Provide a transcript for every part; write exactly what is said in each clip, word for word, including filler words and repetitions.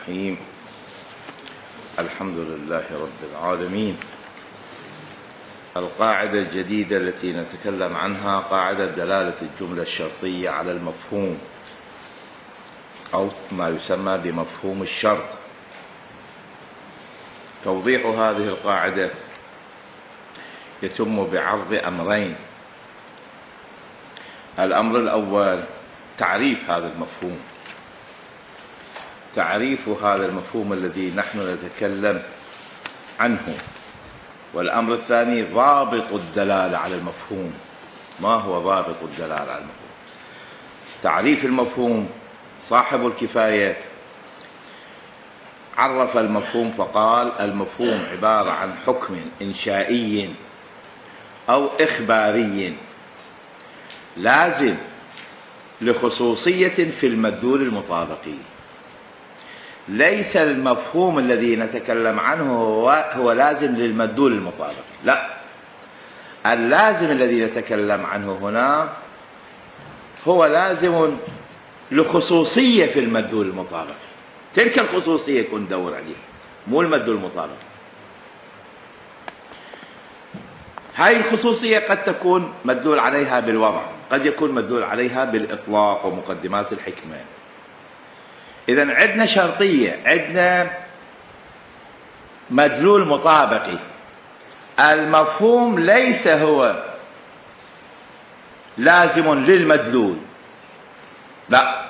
الرحيم. الحمد لله رب العالمين. القاعدة الجديدة التي نتكلم عنها قاعدة دلالة الجملة الشرطية على المفهوم، أو ما يسمى بمفهوم الشرط. توضيح هذه القاعدة يتم بعرض أمرين. الأمر الأول تعريف هذا المفهوم، تعريف هذا المفهوم الذي نحن نتكلم عنه. والأمر الثاني ضابط الدلالة على المفهوم. ما هو ضابط الدلالة على المفهوم؟ تعريف المفهوم، صاحب الكفاية عرف المفهوم فقال: المفهوم عبارة عن حكم إنشائي أو إخباري لازم لخصوصية في المدلول المطابقي. ليس المفهوم الذي نتكلم عنه هو, هو لازم للمدلول المطابقي، لا، اللازم الذي نتكلم عنه هنا هو لازم لخصوصية في المدلول المطابقي. تلك الخصوصية كن ندور عليها، مو المدلول المطابقي. هاي الخصوصية قد تكون مدلول عليها بالوضع، قد يكون مدلول عليها بالإطلاق ومقدمات الحكمة. إذن عندنا شرطية، عندنا مدلول مطابقي. المفهوم ليس هو لازم للمدلول، لا،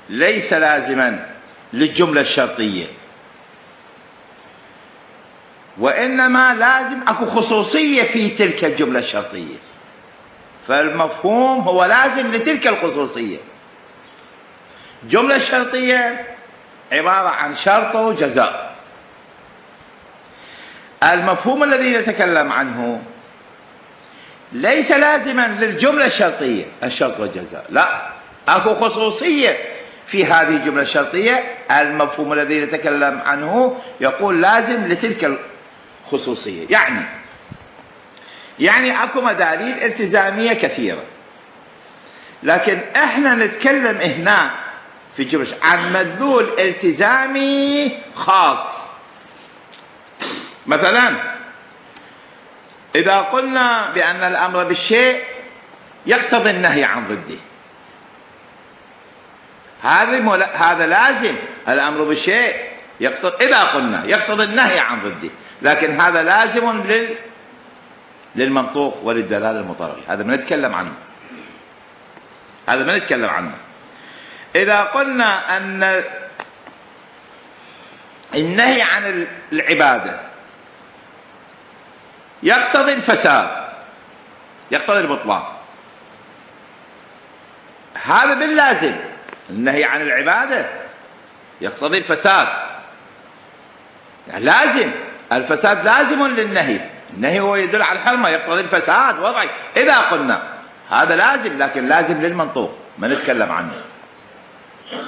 ليس لازما للجملة الشرطية، وإنما لازم أكو خصوصية في تلك الجملة الشرطية، فالمفهوم هو لازم لتلك الخصوصية. الجملة الشرطية عبارة عن شرط وجزاء. المفهوم الذي نتكلم عنه ليس لازما للجملة الشرطية الشرط والجزاء، لا، أكو خصوصية في هذه الجملة الشرطية. المفهوم الذي نتكلم عنه يقول لازم لتلك الخصوصية. يعني يعني أكو مداليل التزامية كثيرة، لكن احنا نتكلم هنا في الجملة عن مدلول التزامي خاص. مثلا إذا قلنا بأن الأمر بالشيء يقتضي النهي عن ضده، هذا هذا لازم. الأمر بالشيء يقتضي، إذا قلنا يقتضي النهي عن ضده، لكن هذا لازم لل للمنطوق وللدلالة المطابقة. هذا ما نتكلم عنه، هذا ما نتكلم عنه. إذا قلنا أن النهي عن العبادة يقتضي الفساد، يقتضي البطلان، هذا باللازم. النهي عن العبادة يقتضي الفساد، يعني لازم. الفساد لازم للنهي، النهي هو يدل على الحرمة، يقتضي الفساد وضعي. إذا قلنا هذا لازم، لكن لازم للمنطوق ما نتكلم عنه،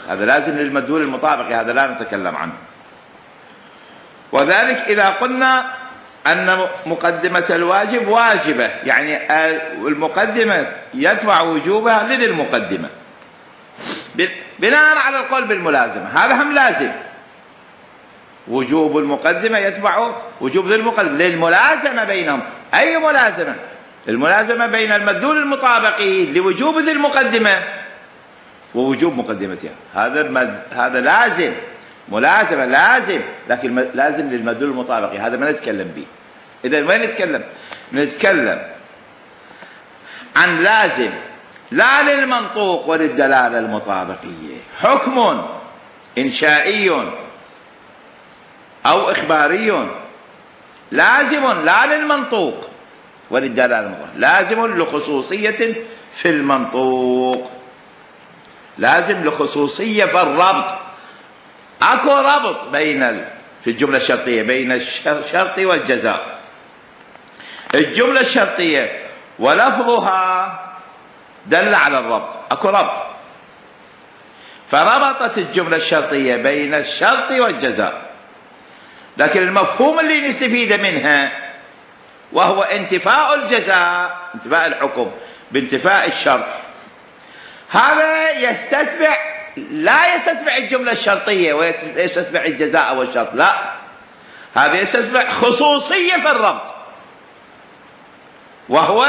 هذا لازم للمدلول المطابق، هذا لا نتكلم عنه. وذلك إذا قلنا أن مقدمة الواجب واجبة، يعني المقدمة يتبع وجوبها لذي المقدمة بناء على القول بالملازمة، هذا هم لازم. وجوب المقدمة يتبع وجوب ذي المقدمة للملازمة بينهم. أي ملازمة؟ الملازمة بين المدلول المطابقي لوجوب ذي المقدمة ووجوب مقدمتها. هذا مد... هذا لازم، ملازمة لازم، لكن لازم للمدلول المطابقي، هذا ما نتكلم به. إذا وين نتكلم؟ نتكلم عن لازم لا للمنطوق وللدلالة المطابقية. حكم إنشائي أو إخباري لازم لا للمنطوق وللدلالة المطابقية، لازم لخصوصية في المنطوق، لازم لخصوصية في الربط. أكو ربط بين ال... في الجملة الشرطية بين الشرط والجزاء. الجملة الشرطية ولفظها دل على الربط، أكو ربط، فربطت الجملة الشرطية بين الشرط والجزاء. لكن المفهوم اللي نستفيد منها وهو انتفاء الجزاء، انتفاء الحكم بانتفاء الشرط، هذا يستتبع لا يستتبع الجملة الشرطية ويستتبع الجزاء والشرط، لا، هذا يستتبع خصوصية في الربط، وهو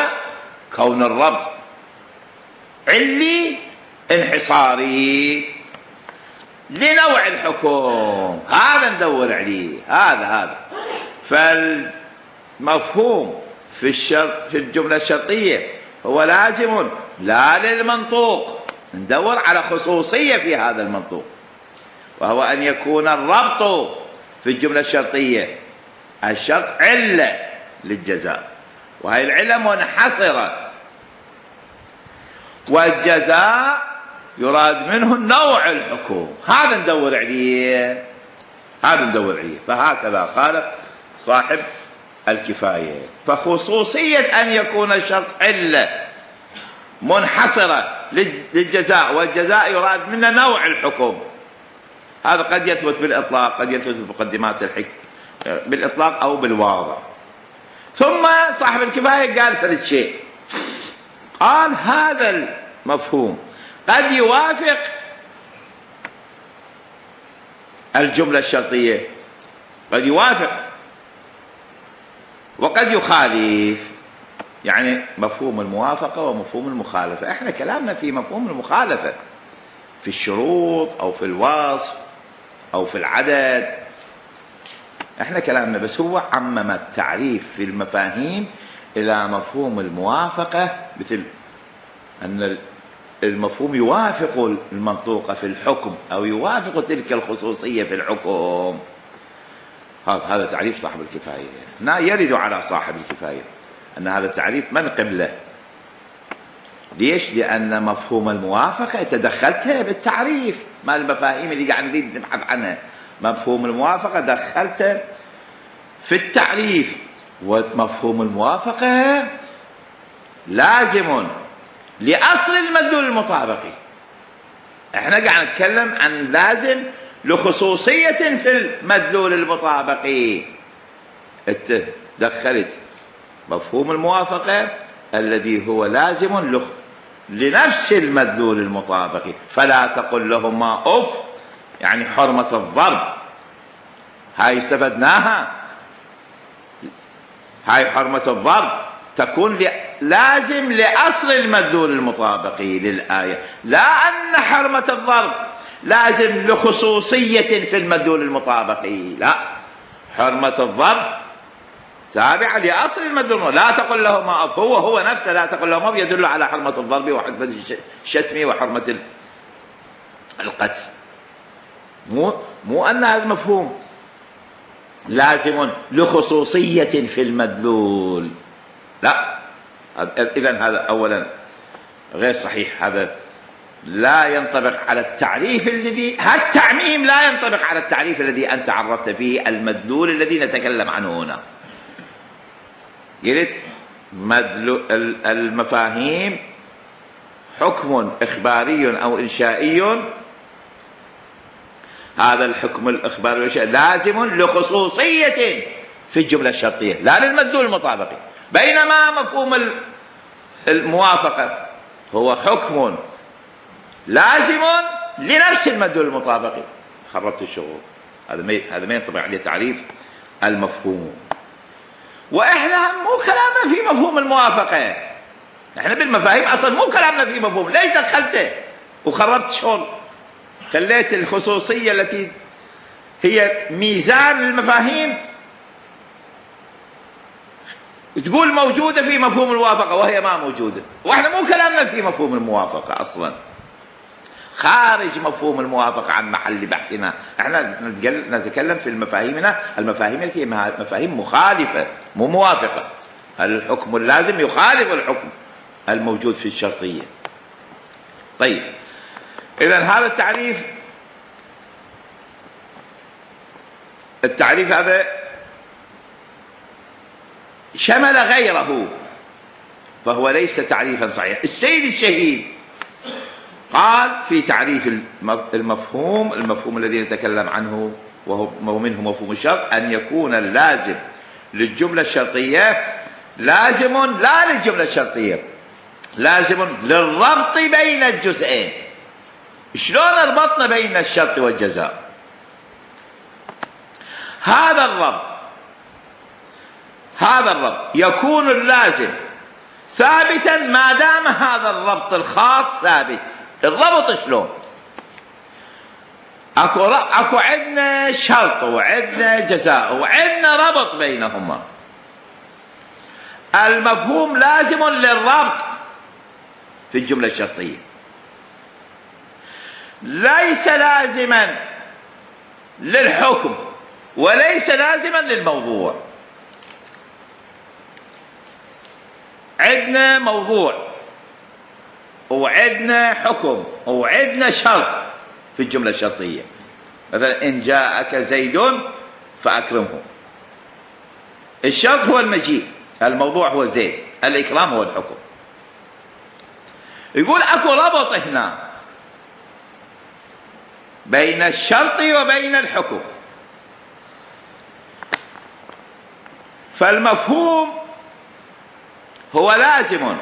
كون الربط علي انحصاري لنوع الحكم، هذا ندور عليه، هذا هذا فالمفهوم في الشرط في الجملة الشرطية هو لازم لا للمنطوق، ندور على خصوصية في هذا المنطوق، وهو أن يكون الربط في الجملة الشرطية الشرط علة للجزاء، وهي العلة منحصرة، والجزاء يراد منه نوع الحكم، هذا ندور عليه، هذا ندور عليه. فهكذا قال صاحب الكفاية، فخصوصية أن يكون الشرط علة منحصرة للجزاء، والجزاء يراد منه نوع الحكم، هذا قد يثبت بالإطلاق، قد يثبت بمقدمات الحكم بالإطلاق أو بالواضح. ثم صاحب الكفاية قال ثلاث شيء، قال هذا المفهوم قد يوافق الجملة الشرطية، قد يوافق وقد يخالف، يعني مفهوم الموافقة ومفهوم المخالفة. احنا كلامنا في مفهوم المخالفة في الشروط أو في الوصف أو في العدد، احنا كلامنا، بس هو عمم التعريف في المفاهيم إلى مفهوم الموافقة، مثل أن المفهوم يوافق المنطوق في الحكم أو يوافق تلك الخصوصية في الحكم. هذا تعريف صاحب الكفاية، لا يرد على صاحب الكفاية أن هذا التعريف منقب له. ليش؟ لأن مفهوم الموافقة تدخلتها بالتعريف، ما المفاهيم اللي قاعد نريد نبحث عنها، مفهوم الموافقة دخلته في التعريف، ومفهوم الموافقة لازم لأصل المدلول المطابقي. احنا قاعد نتكلم عن لازم لخصوصية في المدلول المطابقي، انت دخلت مفهوم الموافقة الذي هو لازم له لنفس المدلول المطابقي، فلا تقل لهما أف، يعني حرمة الضرب، هاي استفدناها، هاي حرمة الضرب تكون لازم لأصل المدلول المطابقي للآية، لا أن حرمة الضرب لازم لخصوصية في المدلول المطابقي، لا، حرمة الضرب تابعة لأصل المدلول، لا تقل لهما أف، هو هو نفسه لا تقل لهما أف يدل على حرمة الضرب وحرمة الشتم وحرمة القتل، مو مو أن هذا المفهوم لازم لخصوصية في المدلول، لا، إذن هذا أولا غير صحيح، هذا لا ينطبق على التعريف الذي، هذا التعميم لا ينطبق على التعريف الذي أنت عرفت فيه المدلول الذي نتكلم عنه هنا. قلت المفاهيم حكم إخباري أو إنشائي، هذا الحكم الإخباري والإنشائي لازم لخصوصية في الجملة الشرطية لا للمدلول المطابقي، بينما مفهوم الموافقة هو حكم لازم لنفس المدلول المطابقي. خربت الشغل، هذا ما هذا ما ينطبق عليه تعريف المفهوم. واحنا مو كلامنا في مفهوم الموافقة، احنا بالمفاهيم اصلا مو كلامنا في مفهوم، ليش دخلته وخربت شغل؟ خليت الخصوصية التي هي ميزان المفاهيم تقول موجودة في مفهوم الموافقة وهي ما موجودة، واحنا مو كلامنا في مفهوم الموافقة اصلا، خارج مفهوم الموافقة عن محل بحثنا، احنا نتكلم في المفاهيمنا المفاهيم التي مفاهيم مخالفة مو موافقة، الحكم اللازم يخالف الحكم الموجود في الشرطية. طيب، إذن هذا التعريف التعريف هذا شمل غيره، فهو ليس تعريفا صحيحا. السيد الشهيد قال في تعريف المفهوم المفهوم الذي نتكلم عنه وهو منه مفهوم الشرط أن يكون اللازم للجملة الشرطية لازم لا للجملة الشرطية، لازم للربط بين الجزئين، شلون ربطنا بين الشرط والجزاء؟ هذا الربط هذا الربط يكون اللازم ثابتا ما دام هذا الربط الخاص ثابت. الربط شلون؟ اكو اكو عندنا شرط وعندنا جزاء وعندنا ربط بينهما. المفهوم لازم للربط في الجملة الشرطية، ليس لازما للحكم وليس لازما للموضوع. عندنا موضوع وعندنا حكم وعندنا شرط في الجملة الشرطية. مثلا إن جاءك زيد فأكرمه. الشرط هو المجيء، الموضوع هو زيد، الإكرام هو الحكم. يقول أكو ربط هنا بين الشرط وبين الحكم، فالمفهوم هو لازم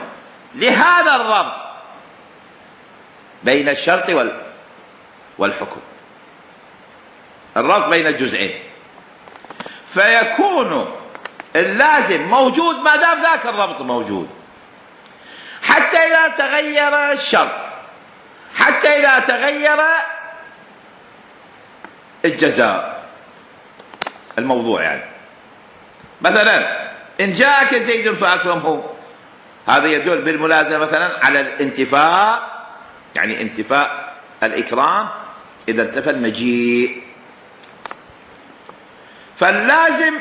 لهذا الربط بين الشرط والحكم، الربط بين الجزئين، فيكون اللازم موجود ما دام ذاك الربط موجود، حتى إذا تغير الشرط، حتى إذا تغير الجزاء الموضوع. يعني مثلا إن جاءك زيد فأكرمه، هذا يدل بالملازمة مثلا على الانتفاء، يعني انتفاء الإكرام إذا انتفى المجيء. فاللازم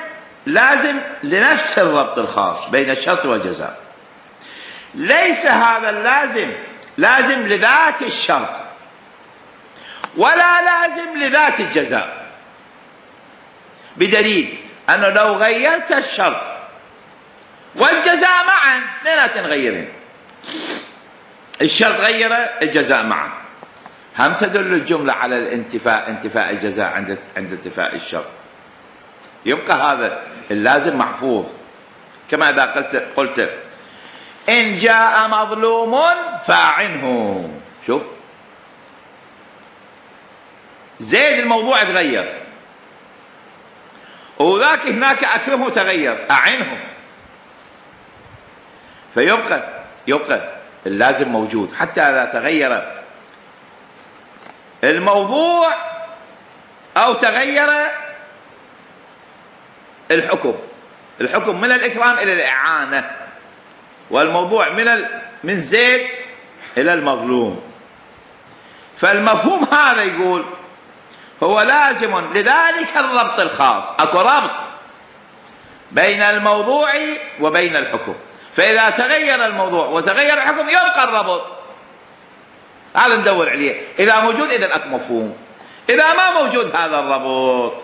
لازم لنفس الربط الخاص بين الشرط والجزاء، ليس هذا اللازم لازم لذات الشرط ولا لازم لذات الجزاء، بدليل أنه لو غيرت الشرط والجزاء معا اثنيناتهم غيرين، الشرط غير الجزاء معا، هم تدل الجملة على الانتفاء، انتفاء الجزاء عند عند انتفاء الشرط، يبقى هذا اللازم محفوظ. كما إذا قلت قلت إن جاء مظلوم فأعنه، شوف زيد الموضوع تغير، وذاك هناك أكرمه تغير، أعنه، فيبقى يبقى اللازم موجود حتى إذا تغير الموضوع أو تغير الحكم. الحكم من الإكرام إلى الإعانة، والموضوع من ال... من زيد إلى المظلوم. فالمفهوم هذا يقول هو لازم لذلك الربط الخاص، اكو ربط بين الموضوع وبين الحكم، فإذا تغير الموضوع وتغير الحكم يبقى الربط، هذا ندور عليه. إذا موجود إذا اكو مفهوم، إذا ما موجود هذا الربط.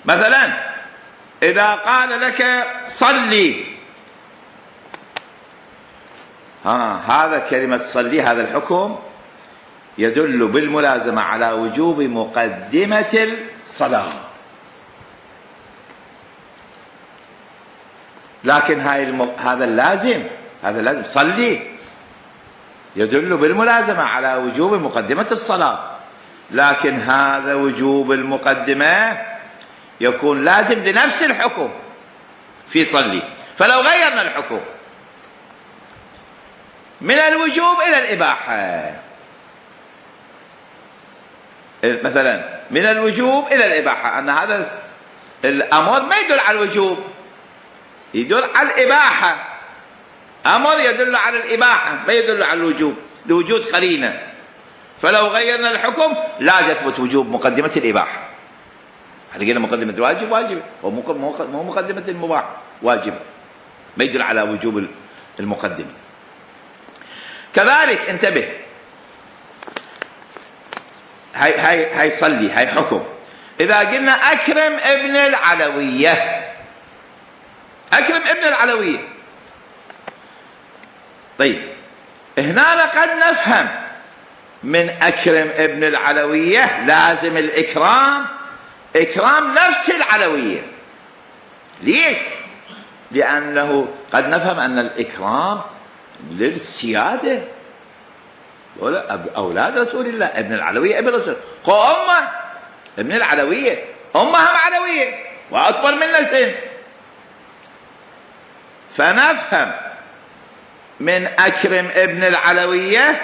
مثلا إذا قال لك صلي، ها هذا كلمة صلي، هذا الحكم يدل بالملازمة على وجوب مقدمة الصلاة، لكن هاي الم... هذا اللازم، هذا اللازم صلي يدل بالملازمة على وجوب مقدمة الصلاة، لكن هذا وجوب المقدمة يكون لازم لنفس الحكم في صلي. فلو غيرنا الحكم من الوجوب إلى الإباحة، مثلا من الوجوب إلى الإباحة، أن هذا الأمر ما يدل على الوجوب، يدل على الإباحة، أمر يدل على الإباحة ما يدل على الوجوب لوجود قرينة. فلو غيرنا الحكم لا يثبت وجوب مقدمة الإباحة، احنا قلنا مقدمة الواجب واجب، ومو مقدمة المباح واجب، ما يدل على وجوب المقدمة. كذلك انتبه، هاي هاي هاي صلي، هاي حكم. إذا قلنا أكرم ابن العلوية، أكرم ابن العلوية، طيب هنا قد نفهم من أكرم ابن العلوية لازم الإكرام إكرام نفس العلوية. ليش؟ لأنه قد نفهم أن الإكرام للسيادة، أولاد رسول الله، ابن العلوية ابن رسول الله، خو أمه ابن العلوية، أمها علوية وأكبر منه سن. فنفهم من أكرم ابن العلوية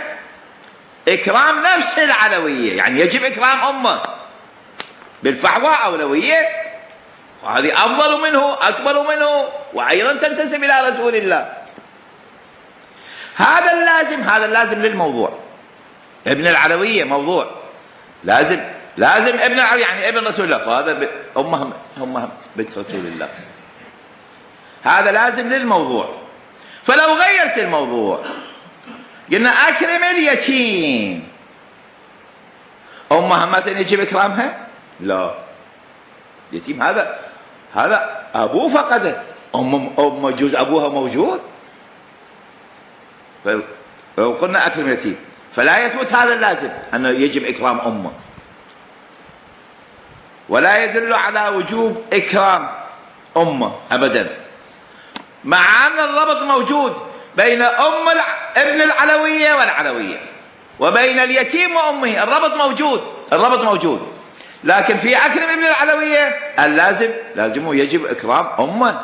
إكرام نفس العلوية، يعني يجب إكرام أمه بالفحوى أولوية، وهذه أفضل منه أكبر منه وأيضا تنتسب إلى رسول الله. هذا اللازم، هذا اللازم للموضوع. ابن العلوية موضوع لازم، لازم ابن العلوية يعني ابن رسول الله، فهذا أمهم أمهم بنت رسول الله، هذا لازم للموضوع. فلو غيرت الموضوع قلنا أكرم اليتيم، أمها مثلا يجب إكرامها؟ لا، يتيم هذا هذا أبوه فقده، أم أم جوز أبوها موجود. لو قلنا أكرم اليتيم فلا يثبت هذا اللازم أنه يجب إكرام أمه، ولا يدل على وجوب إكرام أمه أبدا، مع أن الربط موجود بين أم ابن العلوية والعلوية وبين اليتيم وأمه، الربط موجود، الربط موجود. لكن في أكرم ابن العلوية اللازم لازم يجب إكرام أمه،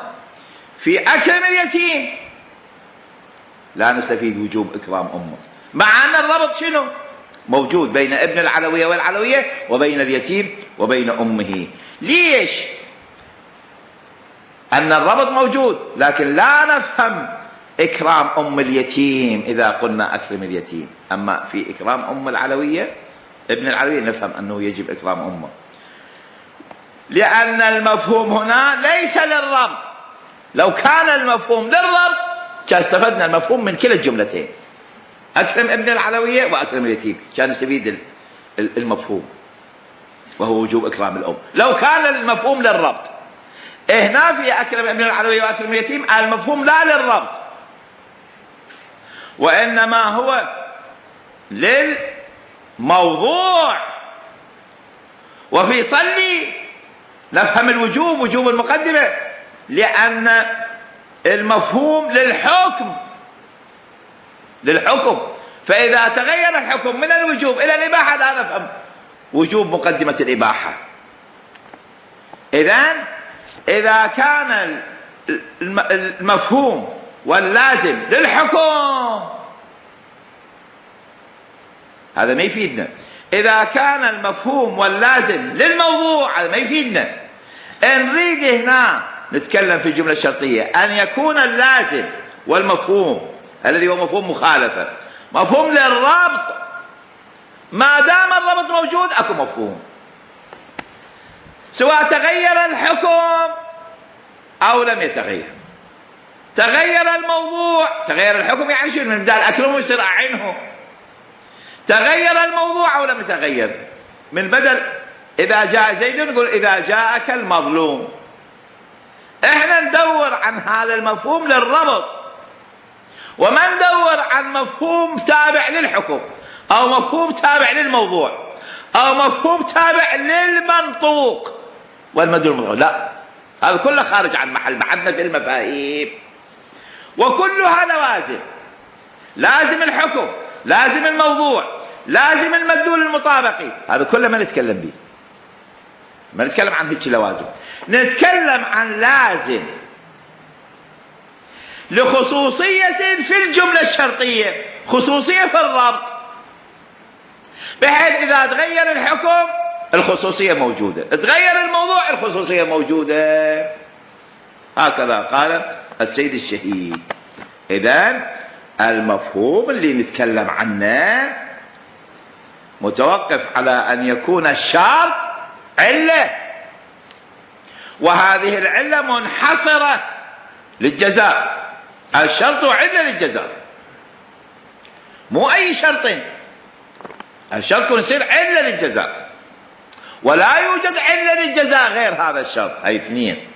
في أكرم اليتيم لا نستفيد وجوب إكرام أمه، مع أن الربط شنو موجود بين ابن العلوية والعلوية وبين اليتيم وبين أمه. ليش؟ أن الربط موجود، لكن لا نفهم إكرام أم اليتيم إذا قلنا أكرم اليتيم، أما في إكرام أم العلوية ابن العلوية نفهم أنه يجب إكرام أمه، لأن المفهوم هنا ليس للربط. لو كان المفهوم للربط كان استفدنا المفهوم من كلا الجملتين، أكرم ابن العلوية وأكرم اليتيم، كان نستفيد المفهوم وهو وجوب إكرام الأم. لو كان المفهوم للربط، هنا في أكرم ابن العلوية وأكرم اليتيم المفهوم لا للربط، وإنما هو للموضوع. وفي صلي نفهم الوجوب، وجوب المقدمة، لأن المفهوم للحكم، للحكم، فإذا تغير الحكم من الوجوب إلى الإباحة لا نفهم وجوب مقدمة الإباحة. إذن إذا كان المفهوم واللازم للحكم هذا ما يفيدنا، إذا كان المفهوم واللازم للموضوع هذا ما يفيدنا. نريد هنا نتكلم في الجملة الشرطية أن يكون اللازم والمفهوم الذي هو مفهوم مخالفة مفهوم للربط، ما دام الربط موجود أكو مفهوم، سواء تغير الحكم أو لم يتغير. تغير الموضوع، تغير الحكم يعني شنو؟ من بدال أكرمه يصير أعنه. تغير الموضوع أو لم يتغير، من بدل إذا جاء زيد نقول إذا جاءك المظلوم. إحنا ندور عن هذا المفهوم للربط، وما ندور عن مفهوم تابع للحكم أو مفهوم تابع للموضوع أو مفهوم تابع للمنطوق والمدلول الموضوع، لا، هذا كله خارج عن محل بحثنا في المفاهيم. وكلها لوازم، لازم الحكم، لازم الموضوع، لازم المدلول المطابقي، هذا كله ما نتكلم به، ما نتكلم عن هيك لوازم، نتكلم عن لازم لخصوصية في الجملة الشرطية، خصوصية في الربط، بحيث إذا تغير الحكم الخصوصية موجودة، تغير الموضوع الخصوصية موجودة. هكذا قال السيد الشهيد. إذن المفهوم اللي نتكلم عنه متوقف على أن يكون الشرط علة، وهذه العلة منحصرة للجزاء. الشرط علة للجزاء، مو أي شرط، الشرط يكون يصير علة للجزاء، ولا يوجد علة للجزاء غير هذا الشرط، هاي اثنين.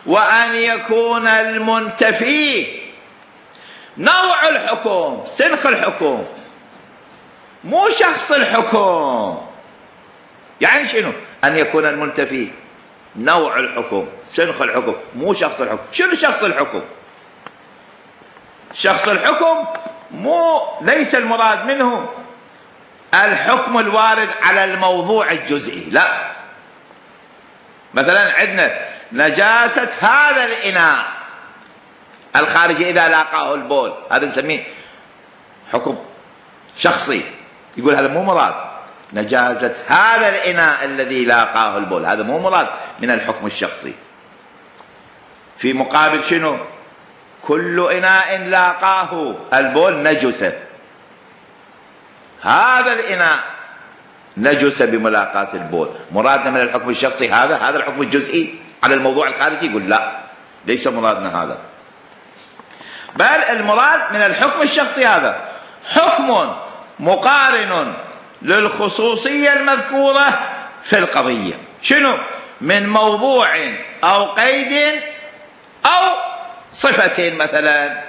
وأن يكون المنتفي نوع الحكم، سنخ الحكم، مو شخص الحكم. يعني شنو؟ أن يكون المنتفي نوع الحكم، سنخ الحكم، مو شخص الحكم. شنو شخص الحكم؟ شخص الحكم مو ليس المراد منه الحكم الوارد على الموضوع الجزئي، لا. مثلا عندنا نجاسة هذا الإناء الخارجي إذا لاقاه البول، هذا نسميه حكم شخصي، يقول هذا مو مراد. نجاسة هذا الإناء الذي لاقاه البول هذا مو مراد من الحكم الشخصي. في مقابل شنو؟ كل إناء لاقاه البول نجس، هذا الإناء نجس بملاقاة البول، مرادنا من الحكم الشخصي هذا هذا الحكم الجزئي على الموضوع الخارجي؟ يقول لا، ليس مرادنا هذا، بل المراد من الحكم الشخصي هذا حكم مقارن للخصوصية المذكورة في القضية. شنو؟ من موضوع أو قيد أو صفة مثلا.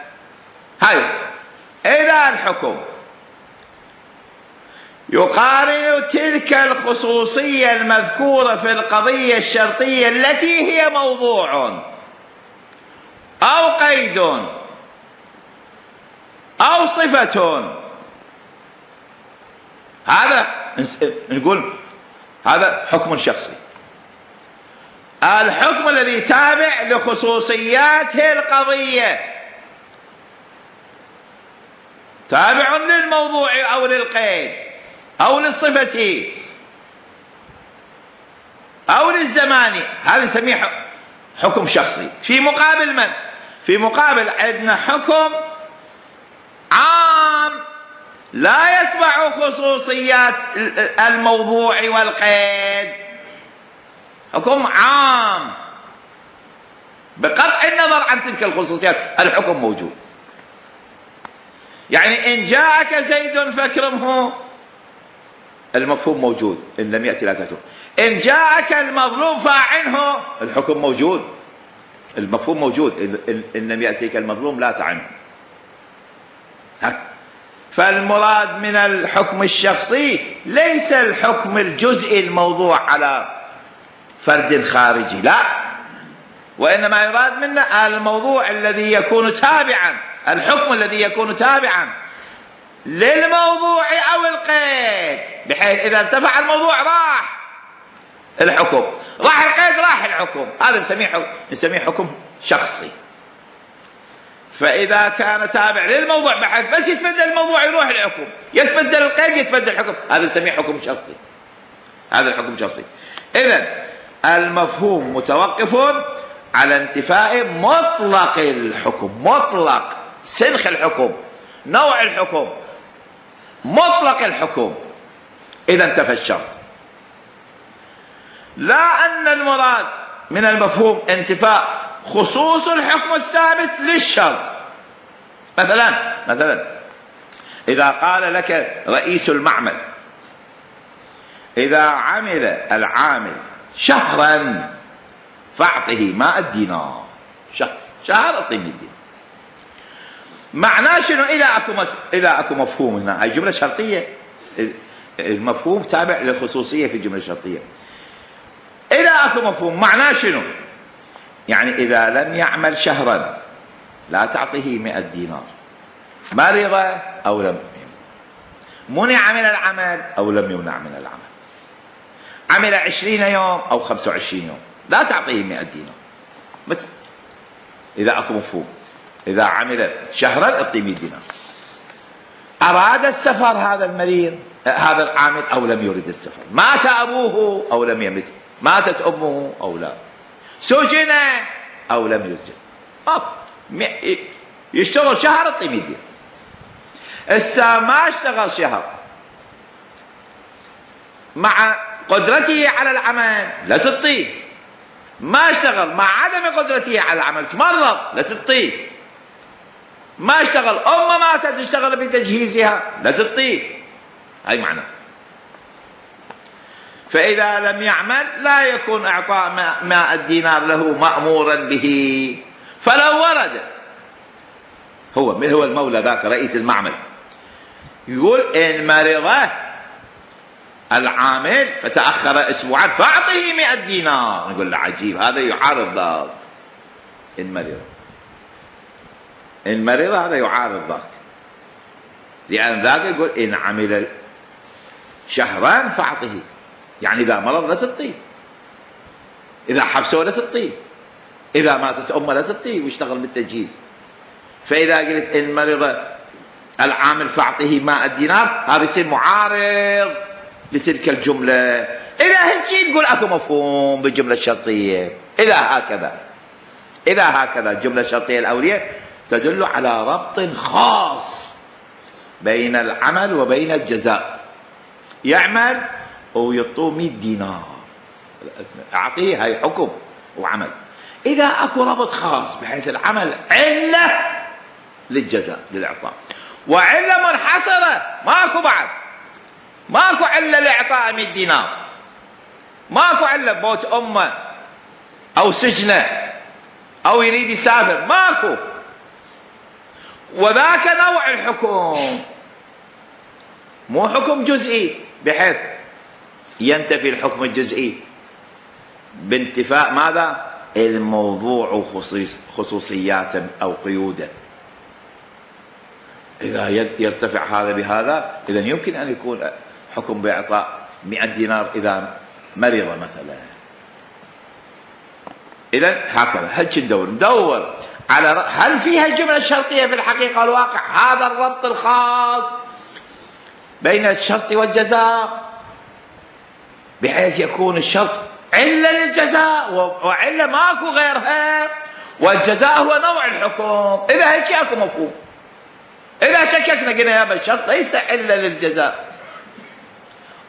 هاي إذا الحكم يقارن تلك الخصوصية المذكورة في القضية الشرطية التي هي موضوع أو قيد أو صفة، هذا نقول هذا حكم شخصي. الحكم الذي تابع لخصوصيات القضية تابع للموضوع أو للقيد أو للصفة أو للزمان، هذا نسميه حكم شخصي. في مقابل من؟ في مقابل عندنا حكم عام لا يتبع خصوصيات الموضوع والقيد، حكم عام بقطع النظر عن تلك الخصوصيات، الحكم موجود. يعني إن جاءك زيد فاكرمه، المفهوم موجود، إن لم يأتي لا تكرم. إن جاءك المظلوم فاعنه، الحكم موجود، المفهوم موجود، إن لم يأتيك المظلوم لا تعنه. فالمراد من الحكم الشخصي ليس الحكم الجزئي الموضوع على فرد خارجي، لا، وإنما يراد منا الموضوع الذي يكون تابعا، الحكم الذي يكون تابعا للموضوع أو القيد، بحيث إذا ارتفع الموضوع راح الحكم، راح القيد راح الحكم، هذا نسميه حكم, نسميه حكم شخصي. فإذا كان تابع للموضوع بحيث بس يتبدل الموضوع يروح الحكم، يتبدل القيد يتبدل الحكم، هذا نسميه حكم شخصي، هذا الحكم شخصي. إذن المفهوم متوقف على انتفاء مطلق الحكم، مطلق سنخ الحكم، نوع الحكم، مطلق الحكم، إذا انتفى الشرط. لا أن المراد من المفهوم انتفاء خصوص الحكم الثابت للشرط. مثلا مثلا إذا قال لك رئيس المعمل إذا عمل العامل شهرا فاعطه ماء الدينار، شهر شهر اعطيني الدينار، معناه شنو؟ إذا أكو إذا أكو مفهوم هنا، هاي جملة شرطية، المفهوم تابع للخصوصية في الجملة الشرطية. إذا أكو مفهوم معناه شنو؟ يعني إذا لم يعمل شهرا لا تعطيه مئة دينار، مرض أو لم منع من العمل أو لم يمنع من العمل، عمل عشرين يوم أو خمسة وعشرين يوم، لا تعطيه مئة دينار بس. إذا أكو مفهوم، إذا عمل شهرا اعطيه مئة دينار. أراد السفر هذا المريض هذا العامل أو لم يرد السفر، مات أبوه أو لم يمت، ماتت أمه أو لا، سجن أو لم يسجن، يشتغل شهر اعطيه مئة دينار. السا ما اشتغل شهر مع قدرته على العمل لا تعطيه، ما اشتغل مع عدم قدرته على العمل تمرض لا تعطيه، ما اشتغل أمه ماتت اشتغل بتجهيزها لا تعطيه، هاي معنى. فإذا لم يعمل لا يكون إعطاء ماء الدينار له مأمورا به. فلو ورد هو هو المولى ذاك رئيس المعمل يقول إن مرض العامل فتأخر أسبوعا فأعطيه مئة دينار، نقول له عجيب، هذا يعارض ذاك. إن مرض إن مرض هذا يعارض ذاك، لأن ذاك يقول إن عمل شهرا فأعطه، يعني إذا مرض لا تعطيه، إذا حبسه لا تعطيه، إذا ماتت أمه لا تعطيه ويشتغل بالتجهيز. فإذا قلت إن مرض العامل فأعطه مائة دينار، هذا يصير معارض لتلك الجملة. إذا هيك نقول أكو مفهوم بالجملة الشرطية. إذا هكذا إذا هكذا الجملة الشرطية الأولية تدل على ربط خاص بين العمل وبين الجزاء. يعمل ويعطوه مئة دينار، أعطيه، هاي حكم وعمل. إذا أكو ربط خاص بحيث العمل علة للجزاء للإعطاء، وعلة منحصرة، ماكو بعد ماكو علة لإعطاء مئة دينار، ماكو علة بوت أمه أو سجنه أو يريد يسافر، ماكو. وذاك نوع الحكم، مو حكم جزئي بحيث ينتفي الحكم الجزئي بانتفاء ماذا؟ الموضوع وخصوصياته أو قيوده. إذا يرتفع هذا بهذا، إذن يمكن أن يكون حكم بإعطاء مئة دينار إذا مرض مثلا. إذن هكذا هل ندور ندور على هل فيها الجملة الشرطية في الحقيقة والواقع هذا الربط الخاص بين الشرط والجزاء، بحيث يكون الشرط علة للجزاء وعلة ماكو غيرها، والجزاء هو نوع الحكم. إذا هيك اكو مفهوم. إذا شككنا قلنا يا الشرط ليس علة للجزاء،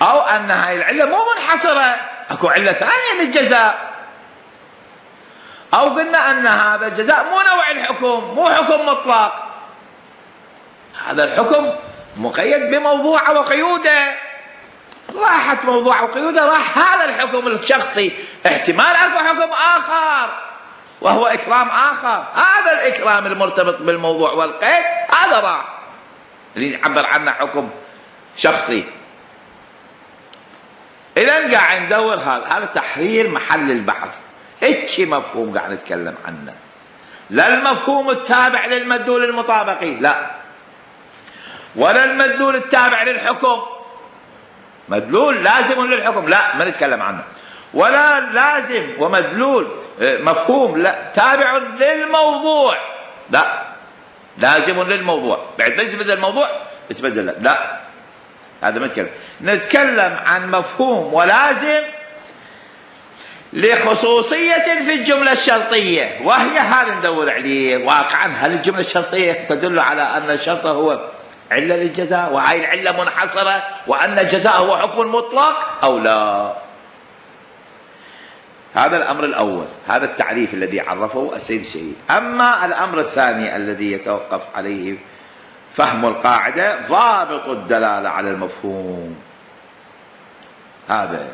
أو أن هاي العلة مو منحصرة، اكو علة ثانية للجزاء، أو قلنا أن هذا الجزاء مو نوع الحكم، مو حكم مطلق، هذا الحكم مقيد بموضوعه وقيوده. راحت موضوعه وقيوده، راح هذا الحكم الشخصي. احتمال اكو حكم آخر وهو إكرام آخر، هذا الإكرام المرتبط بالموضوع والقيد هذا راح اللي يعبر عنه حكم شخصي. إذن قاعد ندور هذا هذا تحرير محل البحث. هيك مفهوم قاعد نتكلم عنه، لا المفهوم التابع للمدلول المطابقي، لا، ولا المدلول التابع للحكم، مدلول لازم للحكم لا ما نتكلم عنه، ولا لازم ومدلول مفهوم لا تابع للموضوع، لا، لازم للموضوع، بعد ما يتبدل الموضوع يتبدل لا, لا. هذا ما نتكلم. نتكلم عن مفهوم ولازم لخصوصية في الجملة الشرطية، وهي هذا ندور عليه واقعا. هل الجملة الشرطية تدل على أن الشرط هو علة للجزاء وهاي العلة منحصرة وأن الجزاء هو حكم مطلق أو لا؟ هذا الأمر الأول، هذا التعريف الذي عرفه السيد الشهيد. أما الأمر الثاني الذي يتوقف عليه فهم القاعدة ضابط الدلالة على المفهوم. هذا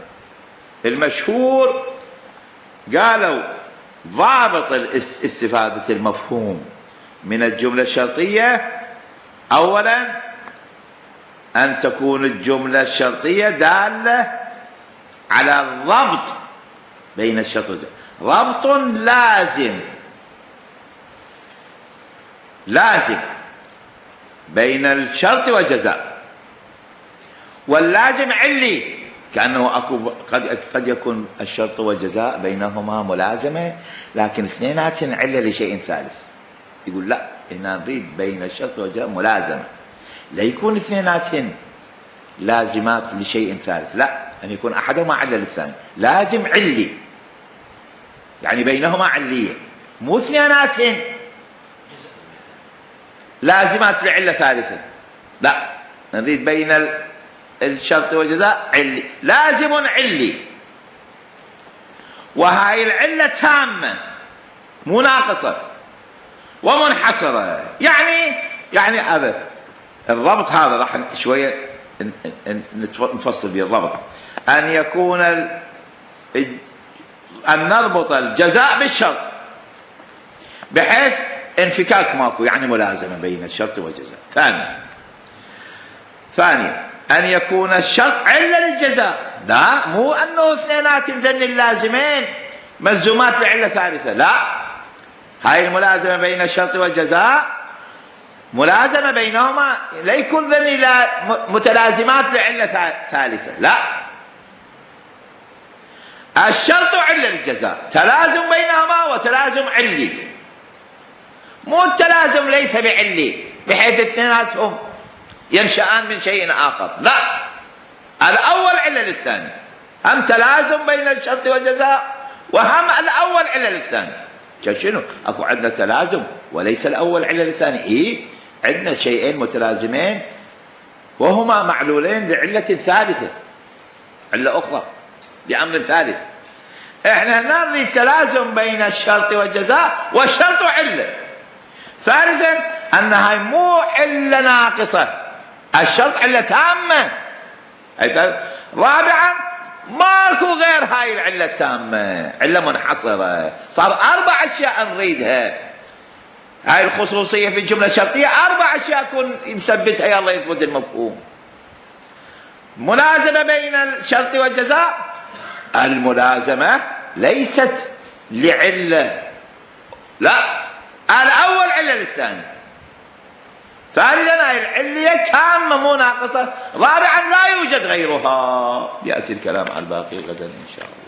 المشهور قالوا ضابط استفادة المفهوم من الجملة الشرطية أولا أن تكون الجملة الشرطية دالة على الربط بين الشرط والجزاء، ربط لازم لازم بين الشرط والجزاء، واللازم علي، كأنه أكو قد قد يكون الشرط والجزاء بينهما ملازمة لكن اثنيناتهن علة لشيء ثالث. يقول لا، هنا نريد بين الشرط والجزاء ملازمة، لا يكون اثنيناتهن لازمات لشيء ثالث، لا، أن يكون أحدهما علة للثاني، لازم علي، يعني بينهما علية، مو اثنيناتهن لازمات لعلة ثالثة، لا، نريد بين الشرط والجزاء علي، لازم علي، وهاي العلة تامة مو ناقصة ومنحصرة. يعني يعني هذا الربط هذا راح شوية نفصل به الربط، أن يكون أن نربط الجزاء بالشرط بحيث انفكاك ماكو، يعني ملازمة بين الشرط والجزاء. ثانيا ثانيا أن يكون الشرط علة للجزاء، لا، مو أنه اثنينات ذن اللازمين ملزومات لعلة ثالثة، لا، هاي الملازمة بين الشرط والجزاء ملازمة بينهما لا يكون ذني متلازمات لعلة ثالثة، لا، الشرط علة الجزاء، تلازم بينهما وتلازم علي، مو التلازم ليس بعلي بحيث اثنيناتهم ينشأان من شيء آخر، لا، الأول علة للثاني، هم تلازم بين الشرط والجزاء وهم الأول علة للثاني. شنو؟ أكو عندنا تلازم وليس الأول علة للثاني، إيه؟ عندنا شيئين متلازمين وهما معلولين لعلة ثالثة، علة أخرى لأمر ثالث. إحنا هنا نريد تلازم بين الشرط والجزاء والشرط علة. ثالثا أنها مو علة ناقصة، الشرط علة تامة. رابعا ماكو غير هاي العلة التامة، علة منحصرة، صار أربع أشياء نريدها. هاي الخصوصية في الجملة الشرطية أربع أشياء يكون يثبتها يلا يثبت المفهوم. ملازمة بين الشرط والجزاء، الملازمة ليست لعلة، لا، الأول علة للثاني. ثالثا هاي العلية تامة مو ناقصة. رابعا لا يوجد غيرها. يأتي الكلام على الباقي غدا إن شاء الله.